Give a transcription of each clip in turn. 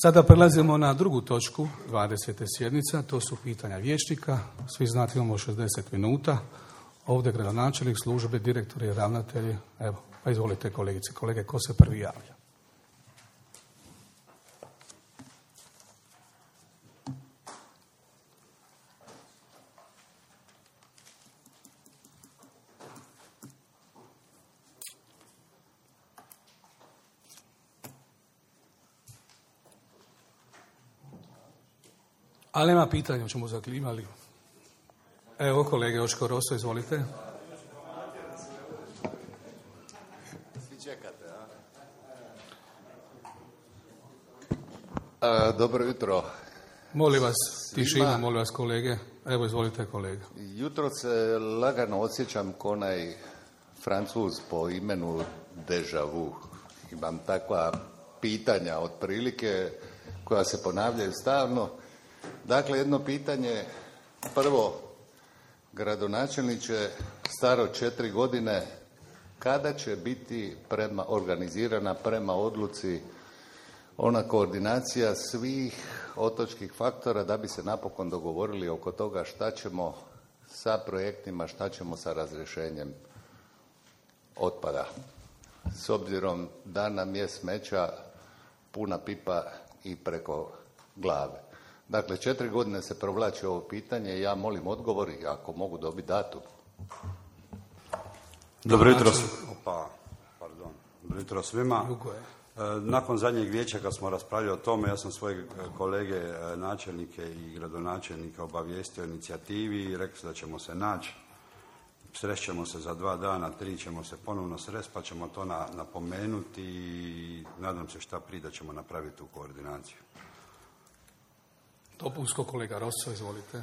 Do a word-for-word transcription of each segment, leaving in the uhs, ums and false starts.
Sada prelazimo na drugu točku dvadesete sjednica, to su pitanja vijećnika. Svi znate imamo šezdeset minuta. Ovdje gradonačelnik, službe, direktori, ravnatelji. Evo, pa izvolite kolegice, kolege, ko se prvi javlja? Ali nema pitanja, o čemu zaklimali. Evo, kolege Joško Roso, izvolite. Svi čekate, a? a dobro jutro. Molim vas, tišinu, molim vas kolege. Evo, izvolite kolega. Jutro se lagano osjećam ko onaj Francuz po imenu Deja Vu. Imam takva pitanja otprilike koja se ponavljaju stalno. Dakle, jedno pitanje, prvo, gradonačelniče, staro četiri godine, kada će biti prema, organizirana prema odluci ona koordinacija svih otočkih faktora da bi se napokon dogovorili oko toga šta ćemo sa projektima, šta ćemo sa razrješenjem otpada. S obzirom da nam je smeća puna pipa i preko glave. Dakle, četiri godine se provlači ovo pitanje i ja molim odgovor i ako mogu dobiti datum. Dobro jutro, opa, pardon. Dobro jutro svima. Nakon zadnjeg vijeća kad smo raspravljali o tome, ja sam svoje kolege načelnike i gradonačelnika obavijestio o inicijativi i rekli da ćemo se naći. Srećemo se za dva dana, tri ćemo se ponovno sresti pa ćemo to na, napomenuti i nadam se šta prije da ćemo napraviti tu koordinaciju. Dopunsko, kolega Rosso, izvolite.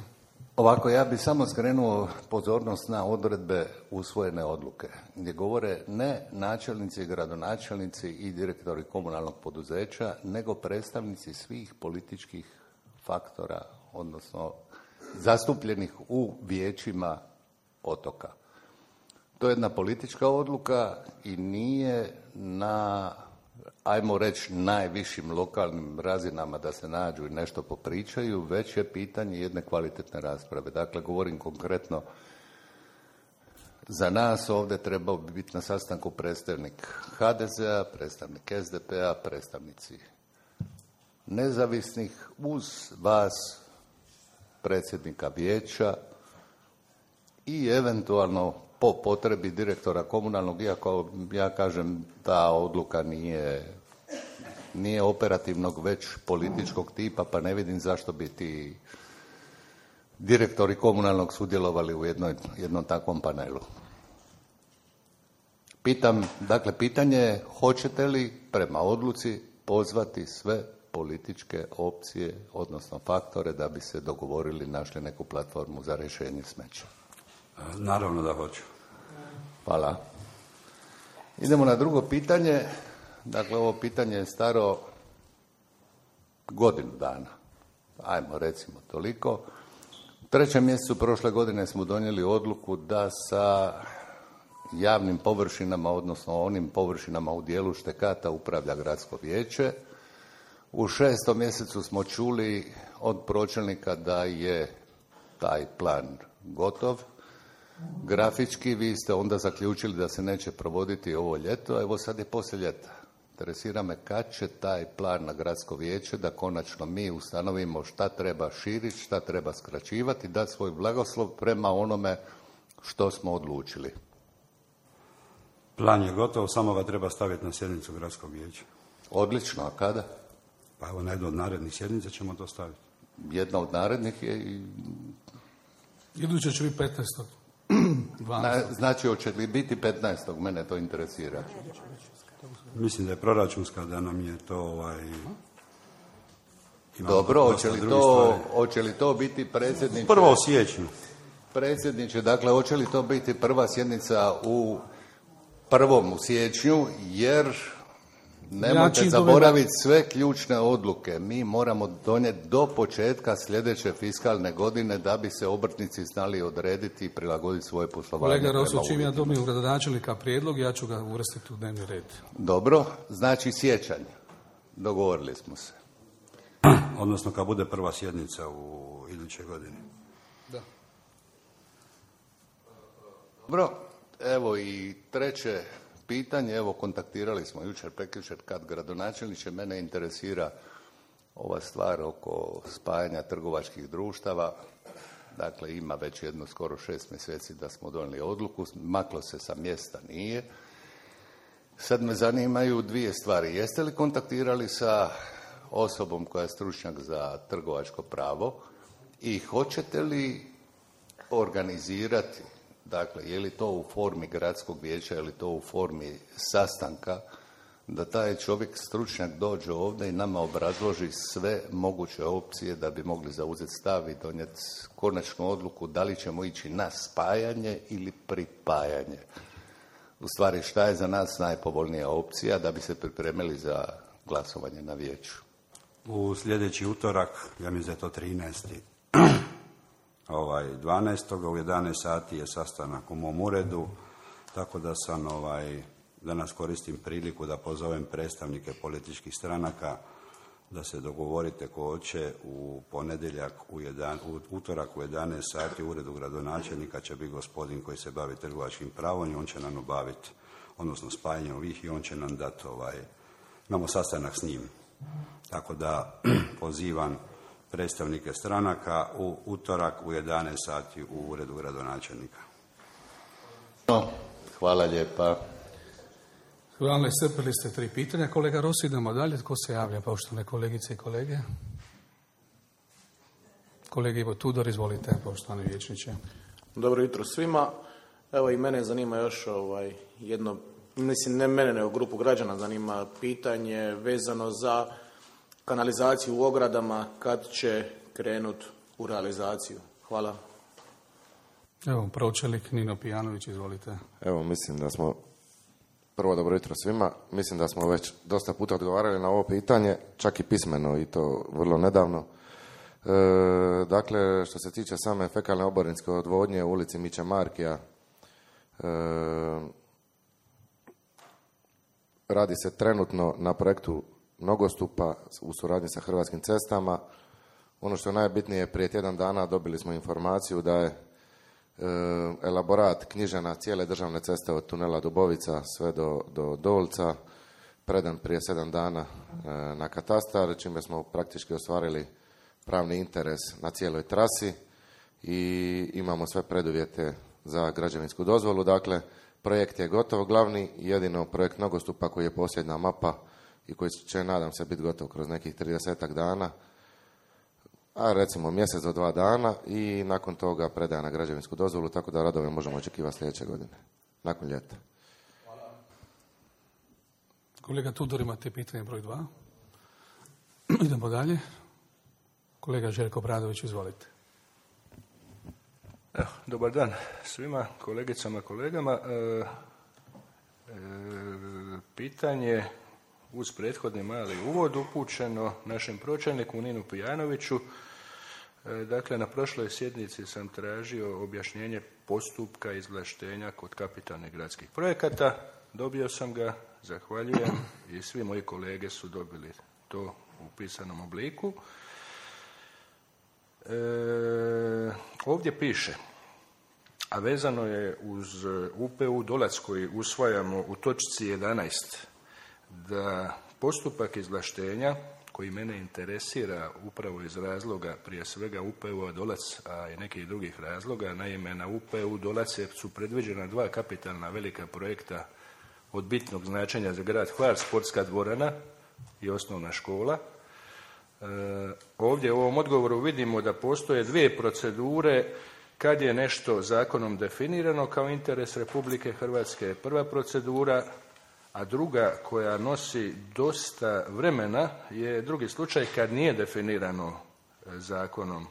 Ovako, ja bih samo skrenuo pozornost na odredbe usvojene odluke, gdje govore ne načelnici i gradonačelnici i direktori komunalnog poduzeća, nego predstavnici svih političkih faktora, odnosno zastupljenih u vijećima otoka. To je jedna politička odluka i nije na, ajmo reći, najvišim lokalnim razinama da se nađu i nešto popričaju, već je pitanje jedne kvalitetne rasprave. Dakle, govorim konkretno, za nas ovdje trebao bi biti na sastanku predstavnik ha de zea, predstavnik es de pe-a, predstavnici nezavisnih, uz vas predsjednika vijeća i eventualno po potrebi direktora komunalnog, iako ja kažem ta odluka nije, nije operativnog, već političkog tipa, pa ne vidim zašto bi ti direktori komunalnog sudjelovali u jednoj, jednom takvom panelu. Pitam, dakle, pitanje je hoćete li prema odluci pozvati sve političke opcije, odnosno faktore, da bi se dogovorili, našli neku platformu za rješenje smeća? Naravno da hoću. Hvala. Idemo na drugo pitanje. Dakle, ovo pitanje je staro godinu dana. Ajmo, recimo toliko. U trećem mjesecu prošle godine smo donijeli odluku da sa javnim površinama, odnosno onim površinama u dijelu štekata, upravlja gradsko vijeće. U šestom mjesecu smo čuli od pročelnika da je taj plan gotov. Grafički vi ste onda zaključili da se neće provoditi ovo ljeto, evo sad je poslije ljeta. Interesira me kad će taj plan na gradsko vijeće da konačno mi ustanovimo šta treba širiti, šta treba skraćivati, dati svoj blagoslov prema onome što smo odlučili. Plan je gotov, samo ga treba staviti na sjednicu gradskog vijeća. Odlično, a kada? Pa evo na jednu od narednih sjednica ćemo to staviti. Jedna od narednih je i... Iduće će biti petnaestog Znači, hoće li biti petnaestog Mene to interesira. Mislim da je proračunska, da nam je to ovaj... Dobro, hoće li, to, hoće li to biti predsjedniče... Prvo u siječnju. Predsjedniče, dakle, hoće li to biti prva sjednica u prvom u siječnju, jer nemojte zaboraviti sve ključne odluke. Mi moramo donijeti do početka sljedeće fiskalne godine da bi se obrtnici znali odrediti i prilagoditi svoje poslovanje. Kolega Roso, čim ja dobijem gradonačelnika prijedlog, ja ću ga uvrstiti u dnevni red. Dobro, znači siječanj. Dogovorili smo se. odnosno kad bude prva sjednica u idućoj godini. Da. Dobro, evo i treće pitanje, evo kontaktirali smo jučer, prekjučer kad gradonačelniče, mene interesira ova stvar oko spajanja trgovačkih društava. Dakle, ima već jedno skoro šest mjeseci da smo donijeli odluku, maklo se sa mjesta nije. Sad me zanimaju dvije stvari. Jeste li kontaktirali sa osobom koja je stručnjak za trgovačko pravo i hoćete li organizirati, dakle, je li to u formi gradskog vijeća, je li to u formi sastanka, da taj čovjek stručnjak dođe ovdje i nama obrazloži sve moguće opcije da bi mogli zauzeti stav i donijeti konačnu odluku da li ćemo ići na spajanje ili pripajanje. U stvari, šta je za nas najpovoljnija opcija da bi se pripremili za glasovanje na vijeću? U sljedeći utorak, ja mislim da je to trinaesti ovaj, dvanaestog u jedanaest sati je sastanak u mom uredu, tako da sam ovaj, danas koristim priliku da pozovem predstavnike političkih stranaka da se dogovorite ko hoće u ponedjeljak, u, jedan, u utorak u jedanaest sati u uredu gradonačelnika će biti gospodin koji se bavi trgovačkim pravom i on će nam obaviti, odnosno spajanjem ovih i on će nam dati, ovaj, imamo sastanak s njim. Tako da pozivam predstavnike stranaka u utorak u jedanaest sati u uredu gradonačelnika. No, hvala lijepa. Hvala, iscrpili ste tri pitanja. Kolega Rossi, idemo dalje. Tko se javlja, poštovane kolegice i kolege? Kolega Ivo Tudor, izvolite, poštovani vijećniče. Dobro jutro svima. Evo i mene zanima još ovaj, jedno, mislim ne mene, nego grupu građana zanima pitanje vezano za kanalizaciju u ogradama, kad će krenut u realizaciju. Hvala. Evo, pročelnik Nino Pijanović, izvolite. Evo, mislim da smo, prvo dobro jutro svima, mislim da smo već dosta puta odgovarali na ovo pitanje, čak i pismeno i to vrlo nedavno. E, dakle, što se tiče same fekalne oborinske odvodnje u ulici Miće Markija, e, radi se trenutno na projektu nogostupa u suradnji sa Hrvatskim cestama. Ono što je najbitnije, prije tjedan dana dobili smo informaciju da je e, elaborat knjižena cijele državne ceste od tunela Dubovica sve do, do Dolca predan prije sedam dana e, na katastar, čime smo praktički ostvarili pravni interes na cijeloj trasi i imamo sve preduvjete za građevinsku dozvolu. Dakle, projekt je gotov, glavni jedino projekt nogostupa koji je posljedna mapa i koji će, nadam se, biti gotov kroz nekih tridesetak dana, a recimo mjesec do dva dana i nakon toga predaja na građevinsku dozvolu, tako da radove možemo očekivati sljedeće godine, nakon ljeta. Hvala. Kolega Tudor, imate pitanje broj dva. Idemo dalje. Kolega Željko Bradović, izvolite. Evo, dobar dan svima, kolegicama, kolegama. E, e, pitanje uz prethodni mali uvod upućeno našem pročelniku Ninu Pijanoviću. E, dakle, na prošloj sjednici sam tražio objašnjenje postupka izvlaštenja kod kapitalnih gradskih projekata. Dobio sam ga, zahvaljujem, i svi moji kolege su dobili to u pisanom obliku. E, ovdje piše, a vezano je uz U P U Dolac koji usvajamo u točci jedanaest, da postupak izvlaštenja koji mene interesira upravo iz razloga prije svega U P U Dolac, a i nekih drugih razloga. Naime, na U P U Dolac su predviđena dva kapitalna velika projekta od bitnog značenja za grad Hvar, sportska dvorana i osnovna škola. E, ovdje u ovom odgovoru vidimo da postoje dvije procedure kad je nešto zakonom definirano kao interes Republike Hrvatske. Prva procedura, a druga koja nosi dosta vremena je drugi slučaj kad nije definirano zakonom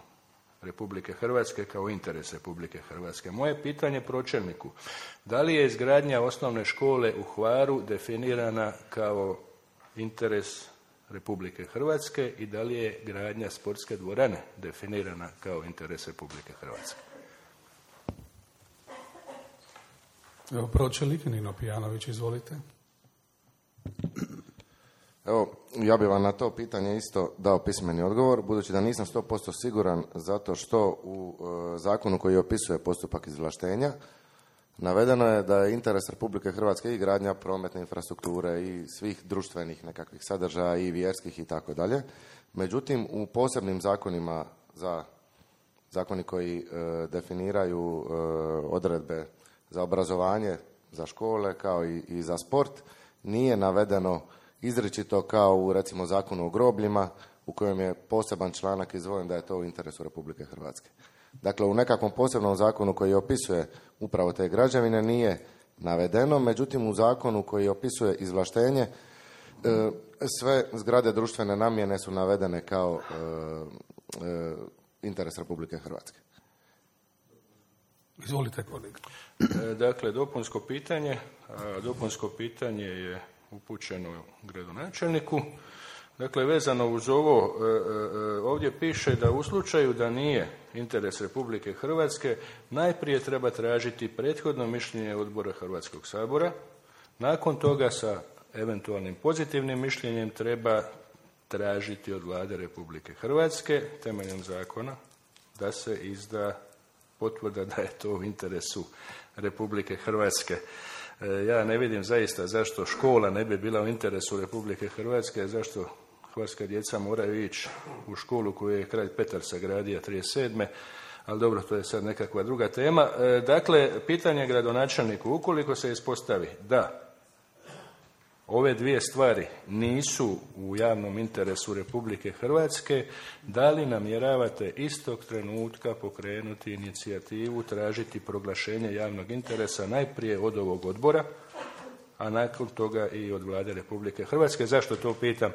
Republike Hrvatske kao interes Republike Hrvatske. Moje pitanje pročelniku, da li je izgradnja osnovne škole u Hvaru definirana kao interes Republike Hrvatske i da li je gradnja sportske dvorane definirana kao interes Republike Hrvatske? Evo, pročelnik Nino Pijanović, izvolite. Evo, Ja bih vam na to pitanje isto dao pismeni odgovor, budući da nisam sto posto siguran, zato što u e, zakonu koji opisuje postupak izvlaštenja navedeno je da je interes Republike Hrvatske i gradnja prometne infrastrukture i svih društvenih nekakvih sadržaja i vjerskih i tako dalje. Međutim, u posebnim zakonima, za zakoni koji e, definiraju e, odredbe za obrazovanje, za škole kao i, i za sport, nije navedeno izričito kao u recimo zakonu o grobljima u kojem je poseban članak izdvojen da je to u interesu Republike Hrvatske. Dakle, u nekakvom posebnom zakonu koji opisuje upravo te građevine nije navedeno, međutim u zakonu koji opisuje izvlaštenje e, sve zgrade društvene namjene su navedene kao e, e, interes Republike Hrvatske. Izvolite, kolega. Dakle, dopunsko pitanje, dopunsko pitanje je upućeno gradonačelniku. Dakle, vezano uz ovo, ovdje piše da u slučaju da nije interes Republike Hrvatske, najprije treba tražiti prethodno mišljenje odbora Hrvatskog sabora. Nakon toga sa eventualnim pozitivnim mišljenjem treba tražiti od Vlade Republike Hrvatske temeljem zakona da se izda potvrda da je to u interesu Republike Hrvatske. Ja ne vidim zaista zašto škola ne bi bila u interesu Republike Hrvatske, zašto hrvatska djeca moraju ići u školu koju je kralj Petar sagradio trideset sedme. Ali dobro, to je sad nekakva druga tema. Dakle, pitanje gradonačelniku, ukoliko se ispostavi da ove dvije stvari nisu u javnom interesu Republike Hrvatske, da li namjeravate istog trenutka pokrenuti inicijativu, tražiti proglašenje javnog interesa najprije od ovog odbora, a nakon toga i od Vlade Republike Hrvatske? Zašto to pitam?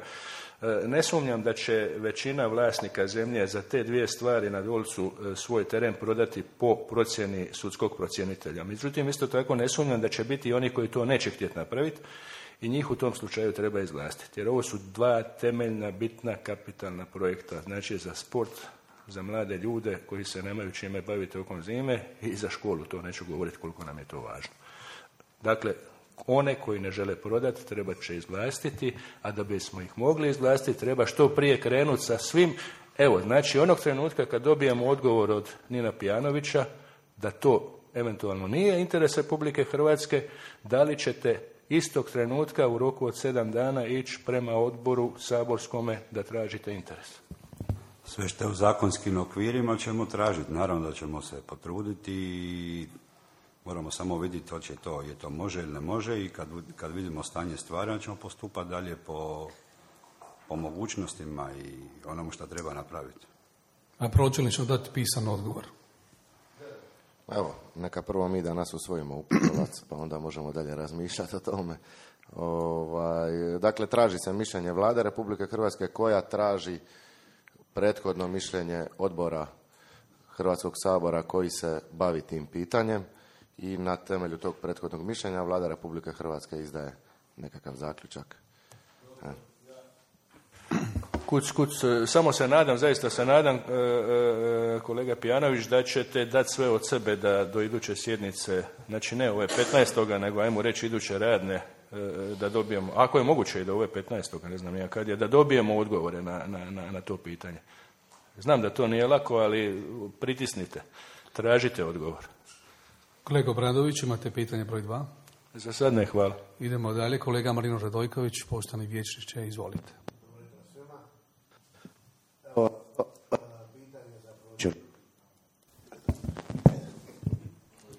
Ne sumnjam da će većina vlasnika zemlje za te dvije stvari na Dolcu svoj teren prodati po procjeni sudskog procjenitelja. Međutim, isto tako ne sumnjam da će biti i oni koji to neće htjeti napraviti i njih u tom slučaju treba izvlastiti. Jer ovo su dva temeljna, bitna, kapitalna projekta. Znači za sport, za mlade ljude koji se nemaju čime baviti tokom zime i za školu. To neću govoriti koliko nam je to važno. Dakle, one koji ne žele prodati treba će izvlastiti, a da bismo ih mogli izvlastiti treba što prije krenuti sa svim. Evo, znači onog trenutka kad dobijemo odgovor od Nina Pijanovića da to eventualno nije interes Republike Hrvatske, da li ćete istog trenutka u roku od sedam dana ići prema odboru saborskome da tražite interes? Sve što je u zakonskim okvirima ćemo tražiti. Naravno da ćemo se potruditi i moramo samo vidjeti hoće to, je to može ili ne može i kad, kad vidimo stanje stvari ćemo postupati dalje po, po mogućnostima i onomu što treba napraviti. A pročelnik će dati pisan odgovor. Evo, neka prvo mi danas usvojimo uputolac, pa onda možemo dalje razmišljati o tome. Ovaj, dakle, traži se mišljenje Vlade Republike Hrvatske koja traži prethodno mišljenje odbora Hrvatskog sabora koji se bavi tim pitanjem i na temelju tog prethodnog mišljenja Vlada Republike Hrvatske izdaje nekakav zaključak. E. Kuc, kuc, samo se nadam, zaista se nadam, e, e, kolega Pijanović, da ćete dati sve od sebe da do iduće sjednice, znači ne ove petnaestoga nego ajmo reći iduće radne, e, da dobijemo, ako je moguće i da ove petnaestoga ne znam ja kad je, da dobijemo odgovore na, na, na, na to pitanje. Znam da to nije lako, ali pritisnite, tražite odgovor. Kolega Obradović, imate pitanje broj dva? Za sad ne, hvala. Idemo dalje, kolega Marino Radojković, poštovani vijećniče, izvolite.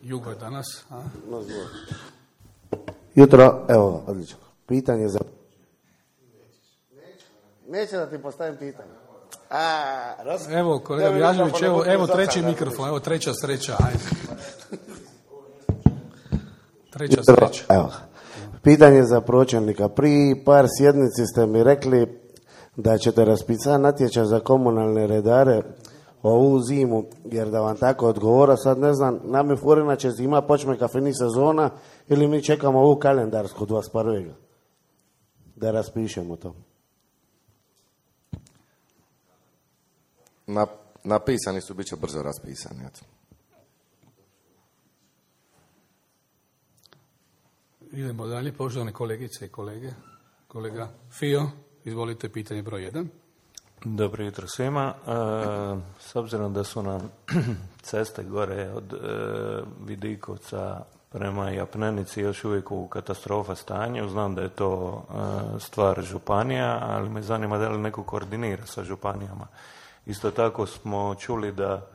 Jugo je danas, a? Jutro, evo, odlično. Pitanje za... Neće da ti postavim pitanje. A, raz... Evo, kolega Bjažević, evo, evo treći mikrofon, evo treća sreća, ajde. Treća sreća. Evo, pitanje za pročelnika. Prije par sjednici ste mi rekli da ćete raspisati natječaj za komunalne redare ovu zimu, jer da vam tako odgovora, sad ne znam, nam je furina će zima, počne kafeni sezona ili mi čekamo ovu kalendarsku dvadeset prvog da raspišemo to. Na, napisani su, bit će brzo raspisani. Eto. Idemo dalje, poštovane kolegice i kolege. Kolega Fio, Izvolite, pitanje broj jedan. Dobro jutro svima. E, s obzirom da su nam ceste gore od e, Vidikovca prema Japnenici još uvijek u katastrofa stanju, znam da je to e, stvar županija, ali me zanima da li neko koordinira sa županijama. Isto tako smo čuli da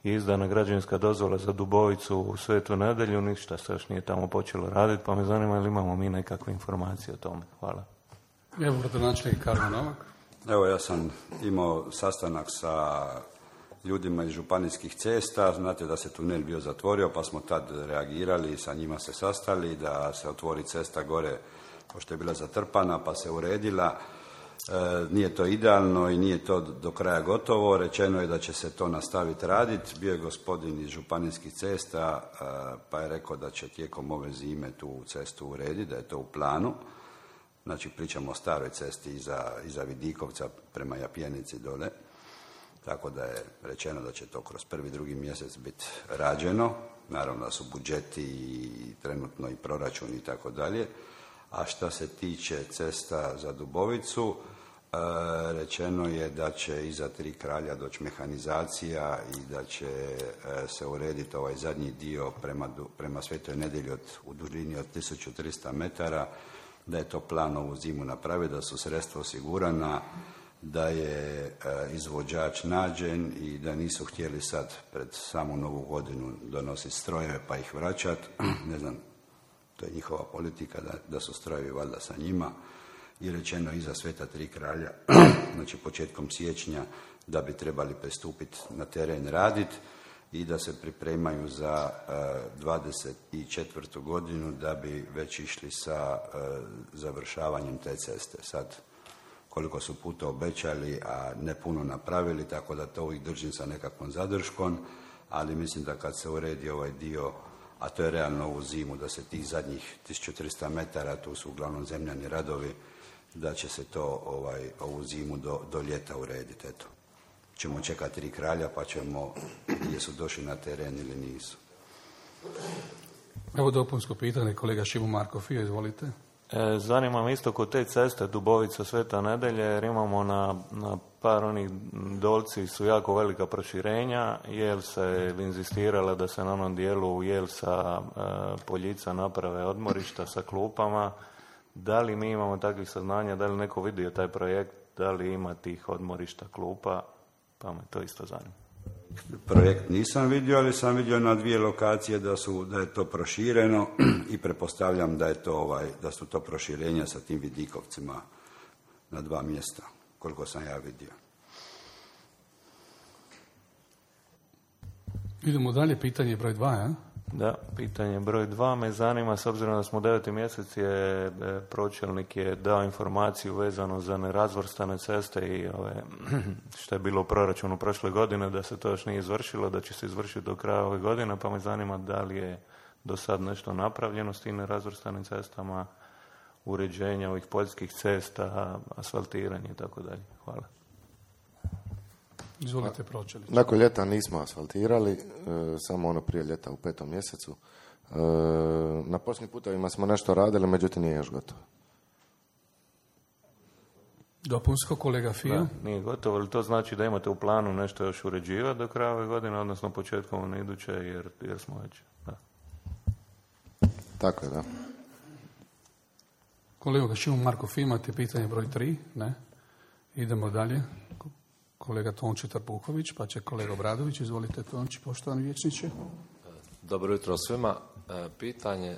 je izdana građevinska dozvola za Dubovicu u Svetu Nedelju, ništa se još nije tamo počelo raditi, pa me zanima li imamo mi nekakve informacije o tome. Hvala. Evo, gradonačelnik Karlo Novak. Evo, ja sam imao sastanak sa ljudima iz županijskih cesta, znate da se tunel bio zatvorio, pa smo tad reagirali i sa njima se sastali, da se otvori cesta gore, pošto je bila zatrpana, pa se uredila. E, nije to idealno i nije to do kraja gotovo, rečeno je da će se to nastaviti raditi. Bio je gospodin iz županijskih cesta, e, pa je rekao da će tijekom ove zime tu cestu urediti, da je to u planu. Znači, pričamo o staroj cesti iza, iza Vidikovca prema Japjenici dole. Tako da je rečeno da će to kroz prvi, drugi mjesec biti rađeno. Naravno da su budžeti i trenutno i proračun i tako dalje. A što se tiče cesta za Dubovicu, e, rečeno je da će iza Tri kralja doći mehanizacija i da će e, se urediti ovaj zadnji dio prema, prema Svetoj Nedjelji od, u dužini od tisuću trista metara, da je to plan ovu zimu napraviti, da su sredstva osigurana, da je e, izvođač nađen i da nisu htjeli sad pred samu novu godinu donositi strojeve pa ih vraćati. Ne znam, to je njihova politika da, da su strojevi valjda sa njima. I rečeno iza Sveta Tri kralja, znači početkom siječnja, da bi trebali pristupiti na teren raditi i da se pripremaju za uh, dvadeset četvrtu godinu da bi već išli sa uh, završavanjem te ceste. Sad, koliko su puta obećali, a ne puno napravili, tako da to uvijek držim sa nekakvom zadrškom, ali mislim da kad se uredi ovaj dio, a to je realno ovu zimu, da se tih zadnjih tisuću trista metara, tu su uglavnom zemljani radovi, da će se to ovaj, ovu zimu do, do ljeta urediti. Eto. Ćemo čekati Tri kralja pa ćemo gdje su došli na teren ili nisu. Evo dopunsko pitanje, kolega Šimo Markofija, izvolite. E, zanima me isto kod te ceste Dubovica Sveta Nedelje, jer imamo na, na par onih dolci su jako velika proširenja, jel se inzistirala da se na onom dijelu jel sa e, Poljica naprave odmorišta sa klupama. Da li mi imamo takvih saznanja, da li neko vidio taj projekt, da li ima tih odmorišta klupa, pa me to isto zanima. Projekt nisam vidio, ali sam vidio na dvije lokacije da su da je to prošireno i pretpostavljam da je to ovaj da su to proširenja sa tim Vidikovcima na dva mjesta, koliko sam ja vidio. Idemo dalje, pitanje broj dva, ja? Da, pitanje broj dva me zanima, s obzirom da smo u deveti mjesec je pročelnik je dao informaciju vezano za nerazvrstane ceste i ove, što je bilo u proračunu prošle godine, da se to još nije izvršilo, da će se izvršiti do kraja ove godine, pa me zanima da li je do sad nešto napravljeno s tim nerazvrstanim cestama, uređenja ovih poljskih cesta, asfaltiranje i tako dalje. Hvala. Izvolite, pročelniče. Nakon ljeta nismo asfaltirali, e, samo ono prije ljeta u petom mjesecu. E, na posljednjim putovima smo nešto radili, međutim nije još gotovo. Dopunsko, kolega Fija. Da, nije gotovo, ali to znači da imate u planu nešto još uređivati do kraja ove godine, odnosno početkom one iduće, jer, jer smo već... Da. Tako je, da. Kolega Šimo Markov, imate pitanje broj tri? Ne? Idemo dalje. Kolega Tonči Trpuhović, pa će kolega Obradović. Izvolite, Tonči, poštovani vijećniče. Dobro jutro svima. Pitanje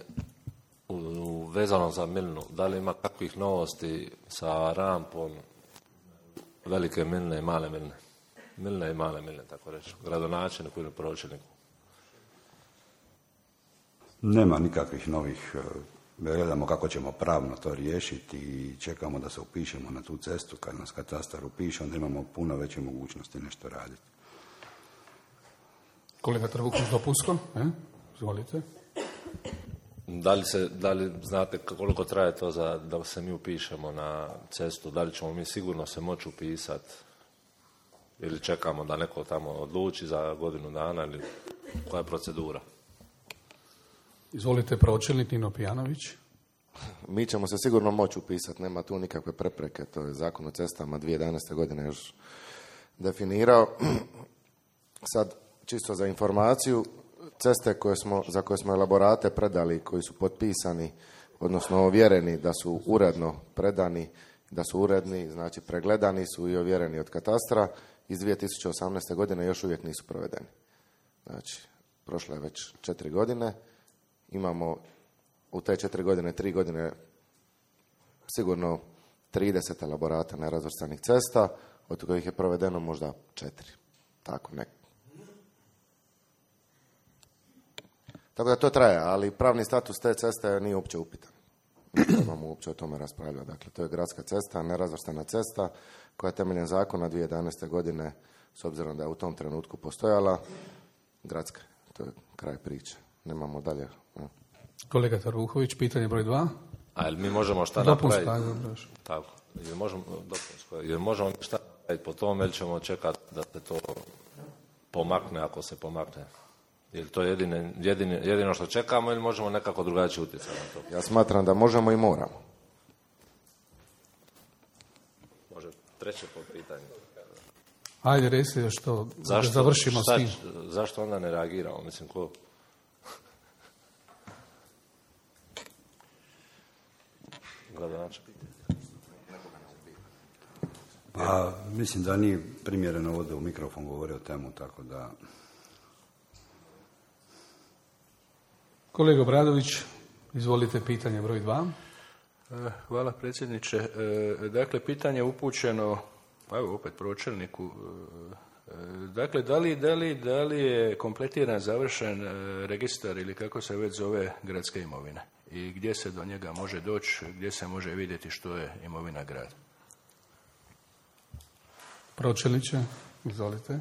vezano za Milnu. Da li ima kakvih novosti sa rampom velike Milne i male Milne? Milne i male Milne, tako reći. Gradonačelniku ili pročelniku. Nema nikakvih novih. Gledamo kako ćemo pravno to riješiti i čekamo da se upišemo na tu cestu. Kad nas katastar upiše, onda imamo puno veće mogućnosti nešto raditi. Kolega Trbuhović, dopunsko? E? Izvolite. Da li, se, da li znate koliko traje to za, da se mi upišemo na cestu? Da li ćemo mi sigurno se moći upisati? Ili čekamo da neko tamo odluči za godinu dana? Ili koja je procedura? Izvolite, pročelnik Nino Pijanović. mi ćemo se sigurno moći upisati, nema tu nikakve prepreke, to je Zakon o cestama dvije tisuće jedanaeste. godine još definirao. Sad, čisto za informaciju, ceste koje smo, za koje smo elaborate predali, koji su potpisani, odnosno ovjereni da su uredno predani, da su uredni, znači pregledani su i ovjereni od katastra, iz dvije tisuće osamnaeste. godine još uvijek nisu provedeni. Znači, prošlo je već četiri godine, imamo u te četiri godine, tri godine sigurno trideset elaborata nerazvrstanih cesta, od kojih je provedeno možda četiri. Tako nek. Tako da to traje, ali pravni status te ceste nije uopće upitan. Ne trebamo uopće o tome raspravljati. Dakle, to je gradska cesta, nerazvrstana cesta, koja je temeljem zakona dvije tisuće jedanaeste. godine, s obzirom da je u tom trenutku postojala, gradska. To je kraj priče. Nemamo dalje. Kolega Taruhović, pitanje broj dva. A jel mi možemo šta Dopunsko, napraviti? ajde, Tako. Jel možemo, dopunsko, jel možemo šta napraviti po tome ili ćemo čekati da se to pomakne ako se pomakne? Je li to jedine, jedine, jedino što čekamo ili možemo nekako drugačije utjecati na to? Ja smatram da možemo i moramo. Može treće po pitanju. Ajde, reci još to, da Zašto, završimo šta, s tim. Zašto onda ne reagiramo? Mislim, ko... Pa, mislim da nije primjereno ovdje u mikrofon govori o temu, tako da... Kolega Bradović, izvolite pitanje broj dva. Hvala predsjedniče. Dakle, pitanje je upućeno, evo opet pročelniku. Dakle, da li, da li, da li je kompletiran, završen registar ili kako se već zove gradske imovine? I gdje se do njega može doći, gdje se može vidjeti što je imovina grada? Pročelniče, izvolite. E,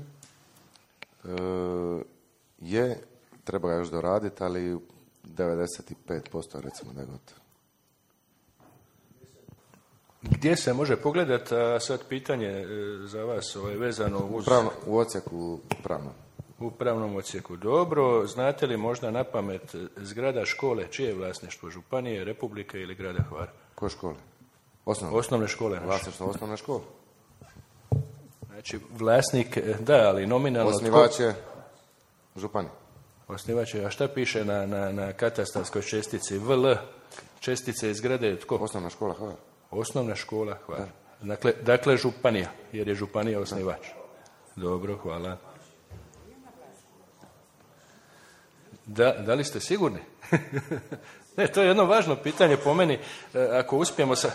je, treba ga još doraditi, ali devedeset pet posto recimo da je gotovo. Gdje se može pogledati, a sad pitanje za vas ovaj, vezano uz... Pravno, u odsjeku pravno. U pravnom odsjeku. Dobro, znate li možda na pamet zgrada škole, čije je vlasništvo, županije, republike ili grada Hvara? Koje škole? Osnovne. Osnovne škole naše. Vlasništvo osnovne škole. Znači, vlasnik, da, ali nominalno... Osnivač je županija. Osnivač je, a šta piše na, na, na katastarskoj čestici? V L, čestice iz zgrade, tko? Osnovna škola Hvara. Osnovna škola Hvara. Dakle, dakle, županija, jer je županija osnivač. Dobro, hvala. Da, da li ste sigurni? Ne, to je jedno važno pitanje po meni. Ako uspijemo sa...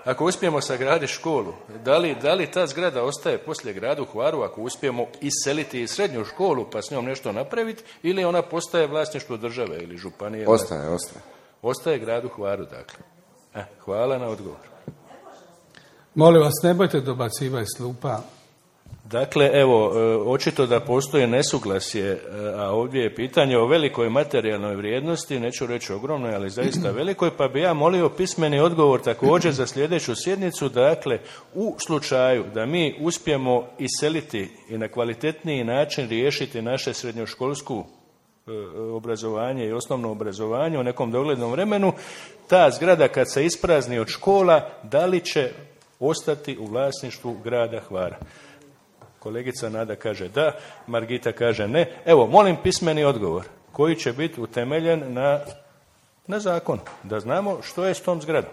Ako uspijemo sagraditi školu, da li, da li ta zgrada ostaje poslije gradu Hvaru ako uspijemo iseliti iz srednju školu pa s njom nešto napraviti ili ona postaje vlasništvo države ili županije? Ostaje, ostaje. Ostaje gradu Hvaru, dakle. Eh, hvala na odgovor. Molim vas, ne bojte dobacivati s klupa. Dakle, evo, očito da postoji nesuglasje, a ovdje je pitanje o velikoj materijalnoj vrijednosti, neću reći ogromnoj, ali zaista velikoj, pa bi ja molio pismeni odgovor također za sljedeću sjednicu. Dakle, u slučaju da mi uspijemo iseliti i na kvalitetniji način riješiti naše srednjoškolsku obrazovanje i osnovno obrazovanje u nekom doglednom vremenu, ta zgrada kad se isprazni od škola, da li će ostati u vlasništvu grada Hvara? Kolegica Nada kaže da, Margita kaže ne. Evo, molim pismeni odgovor koji će biti utemeljen na, na zakon, da znamo što je s tom zgradom.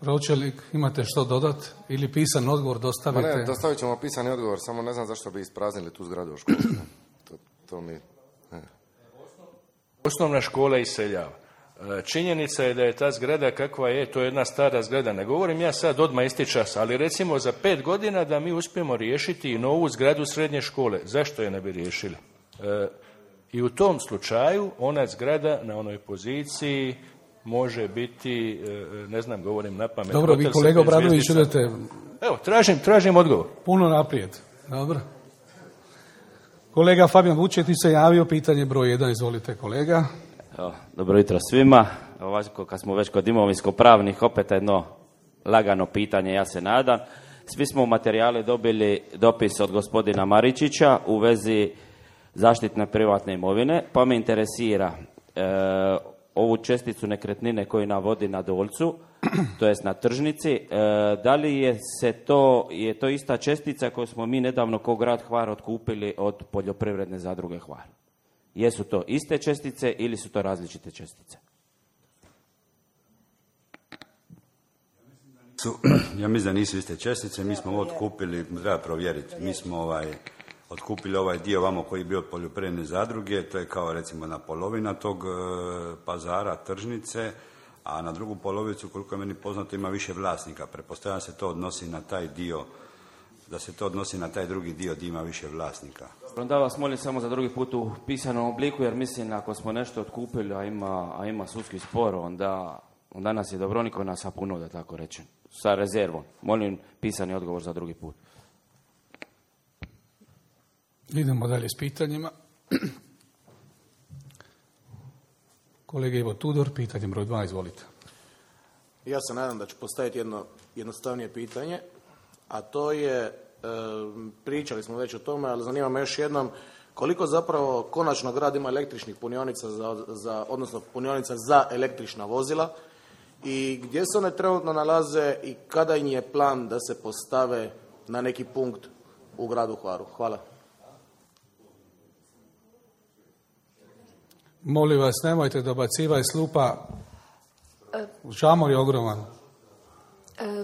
Pročelnik, imate što dodat ili pisan odgovor dostavite? Ma ne, dostavit ćemo pisani odgovor, samo ne znam zašto bi ispraznili tu zgradu u školu. To, to mi... Ne. Osnovna škola iseljava. Činjenica je da je ta zgrada kakva je, to je jedna stara zgrada. Ne govorim ja sad odmah isti čas, ali recimo za pet godina da mi uspijemo riješiti i novu zgradu srednje škole. Zašto je ne bi riješili? E, I u tom slučaju ona zgrada na onoj poziciji može biti, ne znam, govorim na pamet. Dobro, vi kolega Obradović idete... Evo, tražim, tražim odgovor. Puno naprijed. Dobro. Kolega Fabijan Vučetić se javio, pitanje broj jedan, izvolite kolega. Evo, dobro jutro svima. Ovako, kad smo već kod imovinsko-pravnih, opet jedno lagano pitanje, ja se nadam. Svi smo u materijali dobili dopis od gospodina Maričića u vezi zaštitne privatne imovine, pa me interesira, e, ovu česticu nekretnine koju navodi na Dolcu, to jest na tržnici, e, da li je se to, je to ista čestica koju smo mi nedavno kao grad Hvar otkupili od poljoprivredne zadruge Hvar? Jesu to iste čestice ili su to različite čestice? Ja mislim da nisu iste čestice, mi smo ovo otkupili, treba provjeriti, mi smo ovaj, otkupili ovaj dio vamo koji je bio od poljoprivredne zadruge, to je kao recimo na polovina tog e, pazara, tržnice, a na drugu polovicu, koliko je meni poznato, ima više vlasnika. Pretpostavljam se to odnosi na taj dio, da se to odnosi na taj drugi dio gdje ima više vlasnika. Onda vas molim samo za drugi put u pisanom obliku, jer mislim ako smo nešto otkupili, a ima, a ima sudski spor, onda, onda nas je dobro niko nas sapunuo, da tako rečem. Sa rezervom. Molim pisani odgovor za drugi put. Idemo dalje s pitanjima. Kolega Ivo Tudor, pitanje broj dva, izvolite. Ja se nadam da ću postaviti jedno jednostavnije pitanje, a to je, e, pričali smo već o tome, ali zanima me još jednom, koliko zapravo konačno grad ima električnih punionica, za, za, odnosno punionica za električna vozila, i gdje se one trenutno nalaze i kada im je plan da se postave na neki punkt u gradu Hvaru? Hvala. Molim vas, nemojte dobacivati slupa. Žamor je ogroman.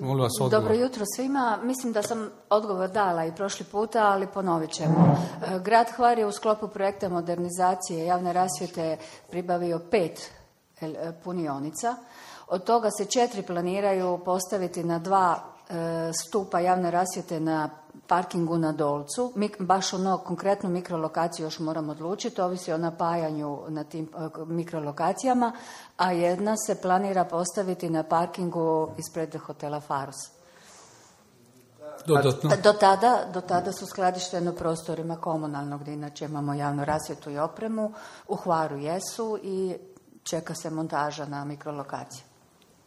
Molim vas, odgovor. Dobro jutro svima. Mislim da sam odgovor dala i prošli puta, ali ponovit ćemo. Grad Hvar je u sklopu projekta modernizacije javne rasvjete pribavio pet punionica. Od toga se četiri planiraju postaviti na dva e, stupa javne rasvjete na parkingu na Dolcu. Mi baš ono konkretnu mikrolokaciju još moramo odlučiti, ovisi o napajanju na tim e, mikrolokacijama, a jedna se planira postaviti na parkingu ispred hotela Faros. Dodatno. Do tada, do tada su skladištene u prostorima komunalnog, gdje inače imamo javnu rasvjetu i opremu. U Hvaru jesu i čeka se montaža na mikrolokaciju.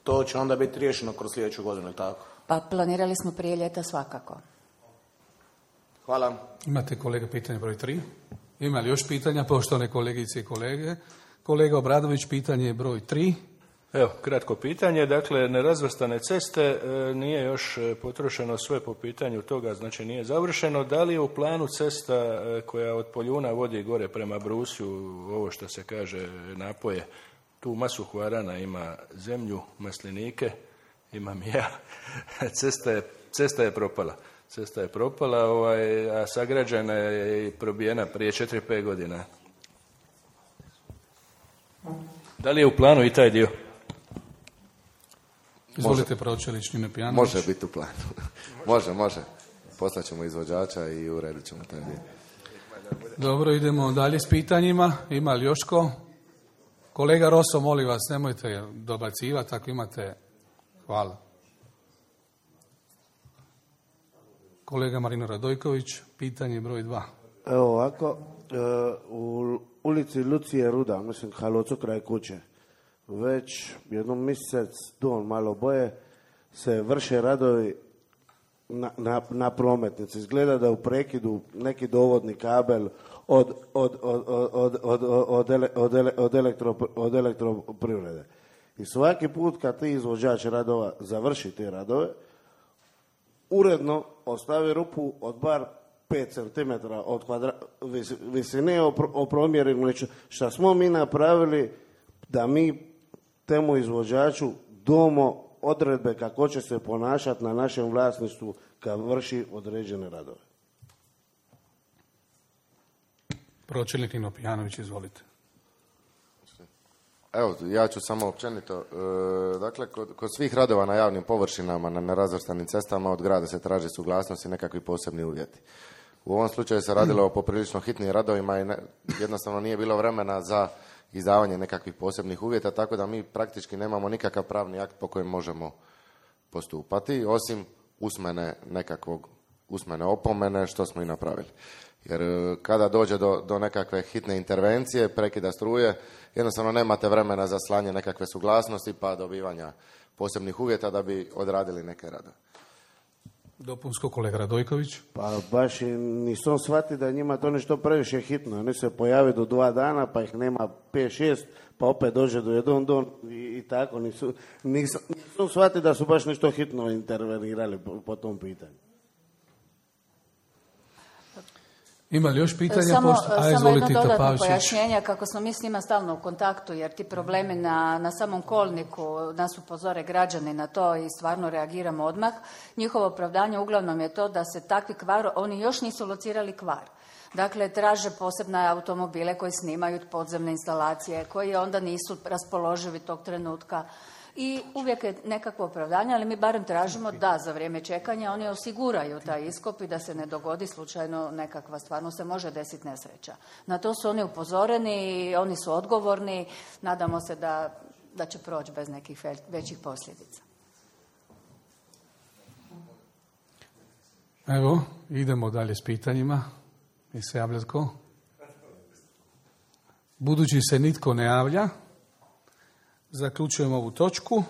To će onda biti riješeno kroz sljedeću godinu, tako? Pa planirali smo prije ljeta svakako. Hvala. Imate, kolega, pitanje broj tri? Ima li još pitanja, poštovane kolegice i kolege? Kolega Obradović, pitanje broj tri. Evo, kratko pitanje. Dakle, nerazvrstane ceste, e, nije još potrošeno sve po pitanju toga, znači nije završeno. Da li je u planu cesta e, koja od Poljuna vodi gore prema Brusju, ovo što se kaže napoje, tu masu Hvarana ima zemlju, maslinike, imam i ja. Cesta je, cesta je propala. Cesta je propala, ovaj, a sagrađena je i probijena prije četiri pet godina. Da li je u planu i taj dio? Izvolite, Pročelić, Nino Pijanović. Može biti u planu. može, može. Poslaćemo izvođača i uredit ćemo taj dio. Dobro, idemo dalje s pitanjima. Ima li još ko? Kolega Roso, molim vas, nemojte dobacivati ako imate. Hvala. Kolega Marino Radojković, pitanje broj dva. Evo ovako, u ulici Lucije Ruda, mislim Halocu kraj kuće, već jednom mjesec don malo boje se vrše radovi na, na, na prometnici. Izgleda da u prekidu neki dovodni kabel od, od, od, od, od, od, ele, od, ele, od, elektro, od elektroprivrede. I svaki put kad ti izvođač radova završi te radove, uredno ostavi rupu od bar pet centimetara od kvadra, vis, visine opromjerenu, što smo mi napravili da mi temu izvođaču domo odredbe kako će se ponašati na našem vlasništvu kad vrši određene radove. Pročelnik Nino Pijanović, izvolite. Evo, ja ću samo općenito. E, dakle, kod, kod svih radova na javnim površinama, na nerazvrstanim cestama, od grada se traži suglasnost i nekakvi posebni uvjeti. U ovom slučaju se radilo o poprilično hitnim radovima i ne, jednostavno nije bilo vremena za izdavanje nekakvih posebnih uvjeta, tako da mi praktički nemamo nikakav pravni akt po kojem možemo postupati, osim usmene nekakvog, usmene opomene, što smo i napravili. Jer kada dođe do, do nekakve hitne intervencije, prekida struje, jednostavno nemate vremena za slanje nekakve suglasnosti pa dobivanja posebnih uvjeta da bi odradili neke radove. Dopunsko, kolega Radojković. Pa baš i nisam shvatio da je njima to nešto previše hitno. Oni se pojave do dva dana, pa ih nema pet šest, pa opet dođe do jedan don i, i tako. Nisu, nisam, nisam shvatio da su baš nešto hitno intervenirali po, po tom pitanju. Ima li još pitanja? Samo, pošto... A, samo jedno Tito dodatno Pavšić. pojašnjenje, kako smo mi s njima stalno u kontaktu, jer ti problemi na, na samom kolniku nas upozore građani na to i stvarno reagiramo odmah. Njihovo opravdanje uglavnom je to da se takvi kvar, oni još nisu locirali kvar. Dakle, traže posebne automobile koji snimaju podzemne instalacije, koji onda nisu raspoloživi tog trenutka. I uvijek je nekakvo opravdanje, ali mi barem tražimo da za vrijeme čekanja oni osiguraju taj iskop i da se ne dogodi slučajno nekakva, stvarno se može desiti nesreća. Na to su oni upozoreni, oni su odgovorni, nadamo se da, da će proći bez nekih većih posljedica. Evo, idemo dalje s pitanjima. Mi se javlja tko? Budući se nitko ne javlja, zaključujemo ovu točku.